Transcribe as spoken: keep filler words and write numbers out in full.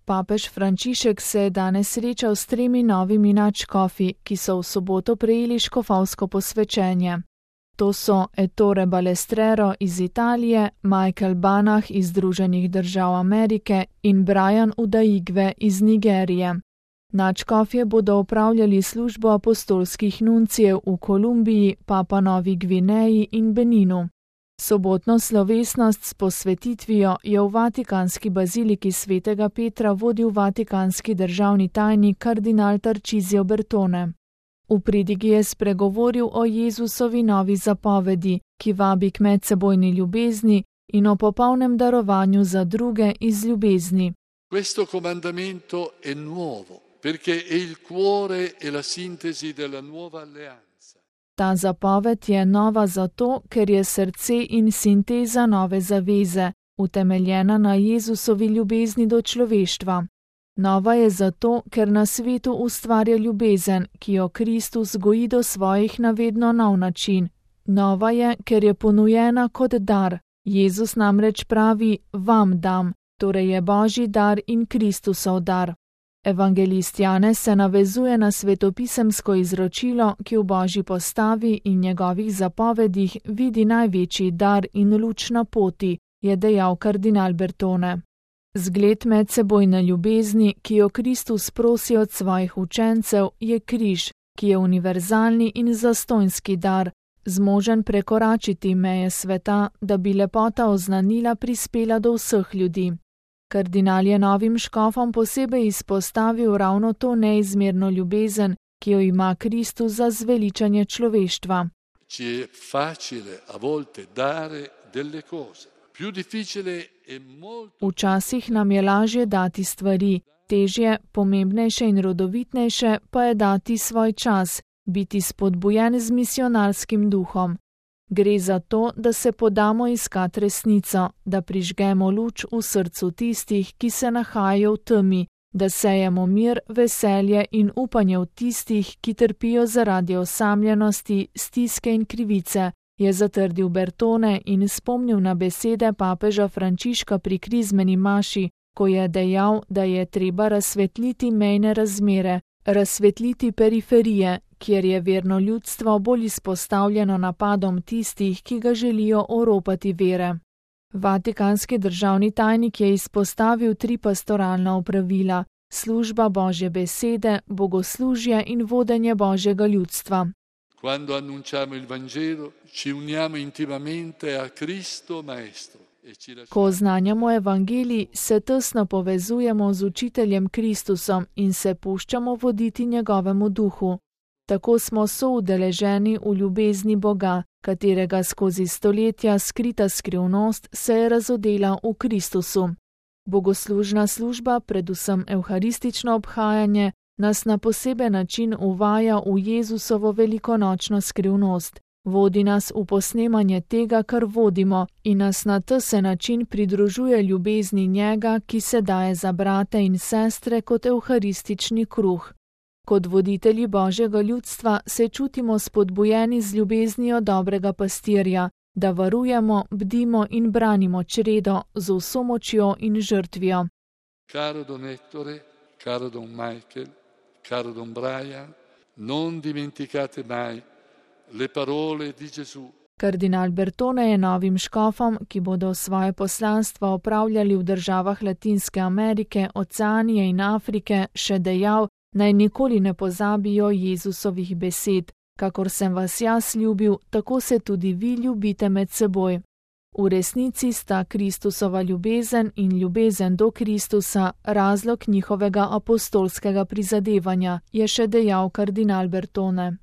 Papež Frančišek se je danes srečal s tremi novimi nadškofi, ki so v soboto prejeli škofovsko posvečenje. To so Ettore Balestrero iz Italije, Michael Banach iz Združenih držav Amerike in Brian Udaigwe iz Nigerije. Nadškofje bodo opravljali službo apostolskih nuncijev v Kolumbiji, Papua Novi Gvineji in Beninu. Sobotno slovesnost s posvetitvijo je v Vatikanski baziliki svetega Petra vodil vatikanski državni tajnik kardinal Tarcisio Bertone. V pridigi je spregovoril o Jezusovi novi zapovedi, ki vabi k medsebojni ljubezni in o popolnem darovanju za druge iz ljubezni. Questo comandamento è nuovo, perché è il cuore e la sintesi della nuova alleanza. Ta zapoved je nova zato, ker je srce in sinteza nove zaveze, utemeljena na Jezusovi ljubezni do človeštva. Nova je zato, ker na svetu ustvarja ljubezen, ki jo Kristus goji do svojih na vedno nov način. Nova je, ker je ponujena kot dar. Jezus namreč pravi, vam dam, torej je Božji dar in Kristusov dar. Evangelist Janez se navezuje na svetopisemsko izročilo, ki v Božji postavi in njegovih zapovedih vidi največji dar in luč na poti, je dejal kardinal Bertone. Zgled medsebojne ljubezni, ki jo Kristus prosi od svojih učencev, je križ, ki je univerzalni in zastonjski dar, zmožen prekoračiti meje sveta, da bi lepota oznanila prispela do vseh ljudi. Kardinal je novim škofom posebej izpostavil ravno to neizmerno ljubezen, ki jo ima Kristus za zveličanje človeštva. Ci è facile a volte dare delle cose. Più difficile e molto. Včasih nam je lažje dati stvari, težje, pomembnejše in rodovitnejše pa je dati svoj čas, biti spodbujen z misionarskim duhom. Gre za to, da se podamo iskat resnico, da prižgemo luč v srcu tistih, ki se nahajajo v temi, da sejemo mir, veselje in upanje v tistih, ki trpijo zaradi osamljenosti, stiske in krivice, je zatrdil Bertone in spomnil na besede papeža Frančiška pri krizmeni maši, ko je dejal, da je treba razsvetliti mejne razmere, razsvetliti periferije, kjer je verno ljudstvo bolj izpostavljeno napadom tistih, ki ga želijo oropati vere. Vatikanski državni tajnik je izpostavil tri pastoralna opravila: služba Božje besede, bogoslužje in vodenje Božjega ljudstva. Quando annunciamo il Vangelo, ci uniamo intimamente a Cristo Maestro. Ko oznanjamo evangelij, se tesno povezujemo z učiteljem Kristusom in se puščamo voditi njegovemu duhu. Tako smo soudeleženi v ljubezni Boga, katerega skozi stoletja skrita skrivnost se je razodela v Kristusu. Bogoslužna služba, predvsem evharistično obhajanje, nas na poseben način uvaja v Jezusovo velikonočno skrivnost. Vodi nas v posnemanje tega, kar vodimo, in nas na tesen način pridružuje ljubezni njega, ki se daje za brate in sestre kot evharistični kruh. Kot voditelji Božjega ljudstva se čutimo spodbujeni z ljubeznijo dobrega pastirja, da varujemo, bdimo in branimo čredo z vso močjo in žrtvijo. Caro don Ettore, caro don Michael, caro don Brian, non dimenticate mai le parole di Gesù. Kardinal Bertone je novim škofom, ki bodo svoje poslanstvo opravljali v državah Latinske Amerike, Oceanije in Afrike, še dejal, naj nikoli ne pozabijo Jezusovih besed: kakor sem vas jaz ljubil, tako se tudi vi ljubite med seboj. V resnici sta Kristusova ljubezen in ljubezen do Kristusa razlog njihovega apostolskega prizadevanja, je še dejal kardinal Bertone.